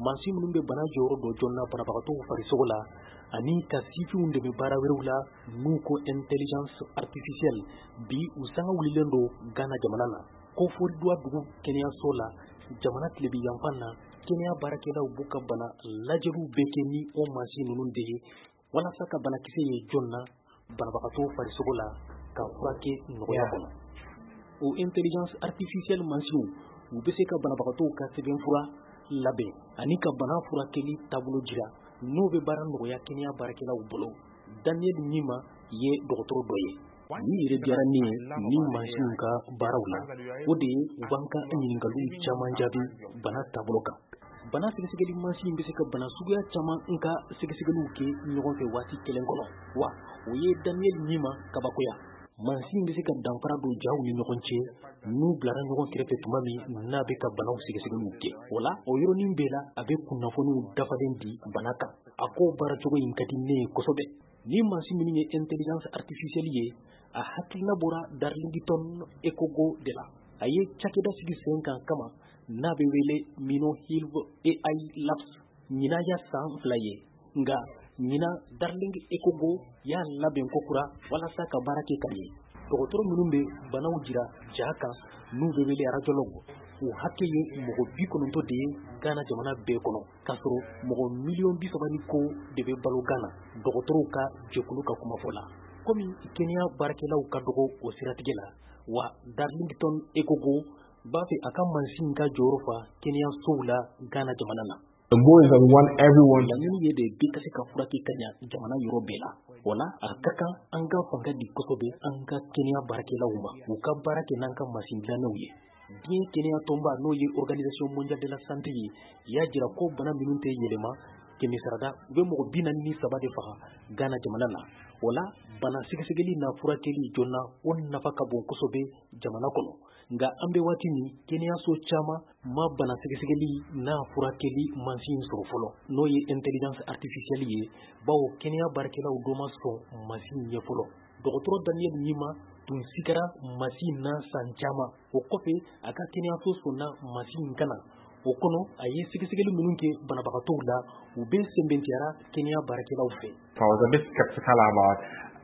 Mansin minnu bɛ bana jɔyɔrɔ dɔ joona banabagatɔw farisogo la ani ka sifinw dɛmɛ baara wɛrɛw la, n'u ko intelligence artificielle, bi u sanga wulilen don Ghana jamana na. Koforidua dugu kɛnɛyaso la, jamana tilebi yanfan na, kɛnɛya baarakɛlaw b'u ka bana lajɛliw bɛɛ kɛ ni o mansin ninnu de ye walasa ka banakisɛ ye joona banabagatɔw farisogo la ka furakɛ nɔgɔya kɔnɔ. O intelligence artificielle mansinw, u bɛ se ka banabagatɔw ka sɛbɛnfura labɛn ani ka bana furakɛli taabolo jira, n'o bɛ baara nɔgɔya kɛnɛya baarakɛlaw bolo. Daniel Nima ye dɔgɔtɔrɔ dɔ ye. Min yɛrɛ diyara ne ye ni mansinw ka baaraw la, o de ye u b'an ka ɲininkaliw caman jaabi bana taabolo kan. Bana sɛgɛsɛgɛli mansin bɛ se ka bana suguya caman n ka sɛgɛsɛgɛliw kɛ ɲɔgɔn fɛ waati kelen kɔnɔ, wa o ye Daniel Nima kabakoya. Mansin bɛ se ka danfara don jaw ni ɲɔgɔn cɛ n'u bilara ɲɔgɔn kɛrɛfɛ tuma min n'a bɛ ka banaw sɛgɛsɛgɛliw kɛ. O la, o yɔrɔnin bɛɛ la, a bɛ kunnafoniw dafalen di bana kan. A ko baaracogo in ka di ne ye kosɛbɛ. Ni mansin minnu ye intelligence artificielle ye, a hakilina bɔra Darlington Ekogo de la. A ye cakɛda sigi sen kan kama n'a bɛ wele Mino Hill AI Labs. Ɲinan ya san 2 ye, nka ɲinan Darling Ekogo y'a labɛn kokura walasa ka baara kɛ ka ɲɛ. Dɔgɔtɔrɔ minnu bɛ banaw jira ja kan n'u bɛ wele radiologue, o hakɛ ye mɔgɔ 90 de ye Ghana jamana bɛɛ kɔnɔ, k'a sɔrɔ mɔgɔ miliyɔn 30 ni kɔ de bɛ balo Ghana, dɔgɔtɔrɔw ka jɛkulu ka kumafɔ la. Komi kɛnɛya baarakɛlaw ka dɔgɔ o siratigɛ la, wa Darlington Ekogo b'a fɛ a ka mansin ka jɔyɔrɔ fa kɛnɛyasow la Ghana jamana na. The goal is that we want everyone. Laɲini ye de bɛɛ ka se ka furakɛ ka ɲa jamana yɔrɔ bɛɛ la. O la, a ka kan an ka fanga di kosɛbɛ an ka kɛnɛya baarakɛlaw ma, u ka baara kɛ n'an ka mansin dilannenw ye. Diɲɛ kɛnɛya tɔnba, n'o ye Organisation mondiale de la santé ye, y'a jira ko bana minnu tɛ yɛlɛma, kɛmɛ sarada u bɛ mɔgɔ 43 de faga Ghana jamana na. O la, bana sɛgɛsɛgɛli n'a furakɛli joona, o nafa ka bon kosɛbɛ jamana kɔnɔ. Nka an bɛ waati min, kɛnɛyaso caman ma bana sɛgɛsɛgɛli n'a furakɛli mansin sɔrɔ fɔlɔ, n'o ye intelligence artificielle ye, bawo kɛnɛya baarakɛlaw dɔ ma sɔn mansin ɲɛ fɔlɔ. Dɔgɔtɔrɔ Daniel Nima tun sigara mansin na san caman. O kɔfɛ, a ka kɛnɛyaso sɔnna mansin ka na. O kɔnɔ, a ye sɛgɛsɛgɛli minnu kɛ banabagatɔw la, u bɛɛ sɛmɛntiyara kɛnɛya baarakɛlaw fɛ. I was a bit skeptical about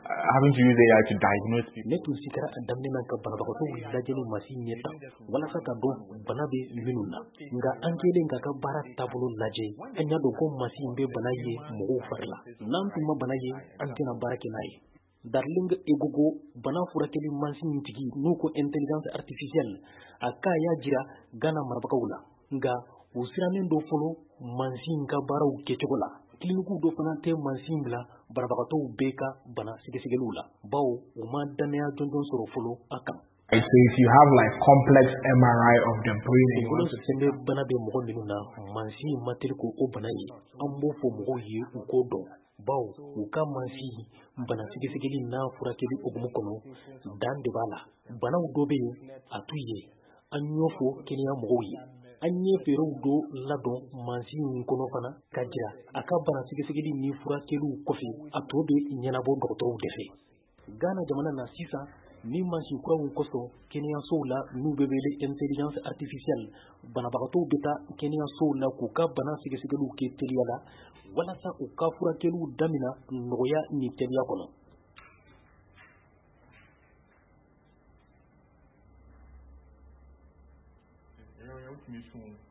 having to use AI to diagnose people. Ne tun sigara a daminɛ na ka banabagatɔw lajɛ ni mansin ɲɛ tan walasa ka dɔn bana bɛ minnu na. Nka an kɛlen k'a ka baara taabolo lajɛ, an y'a dɔn ko mansin bɛ bana ye mɔgɔw fari la. N'an tun ma bana ye, an tɛna baara kɛ n'a ye. Darling Egogo, bana furakɛli mansin tigi n'u ko intelligence artificielle, a k'a y'a jira Ghana marabagaw la. Nka u sirannen dɔ fɔlɔ mansin ka baaraw kɛcogo la. Kilinikiw dɔ fana tɛ mansin bila banabagatɔw bɛɛ ka bana sɛgɛsɛgɛliw la, bawo u ma dannaya jɔnjɔn sɔrɔ fɔlɔ a kan. So if you have like complex MRI of the brain and you want to Kunkolo sɛmɛ bana bɛ mɔgɔ minnu na, mansin ma teli k'o bana ye. An b'o fɔ mɔgɔw ye u k'o dɔn, bawo u ka mansin bana sɛgɛsɛgɛli n'a furakɛli hukumu kɔnɔ, dan de b'a la. Banaw dɔ bɛ yen, a t'u ye. An y'o fɔ kɛnɛya mɔgɔw ye. An ye fɛɛrɛw dɔ ladɔn mansin in kɔnɔ fana ka jira a ka bana sɛgɛsɛgɛli ni furakɛliw kɔfɛ, a tɔ bɛ ɲɛnabɔ dɔgɔtɔrɔw de fɛ. Ghana jamana na sisan, ni mansin kuraw kosɔn kɛnɛyasow la n'u bɛ wele intelligence artificielle, banabagatɔw bɛ taa kɛnɛyasow la k'u ka bana sɛgɛsɛgɛliw kɛ teliya la walasa u ka furakɛliw damina nɔgɔya ni teliya kɔnɔ. Soon.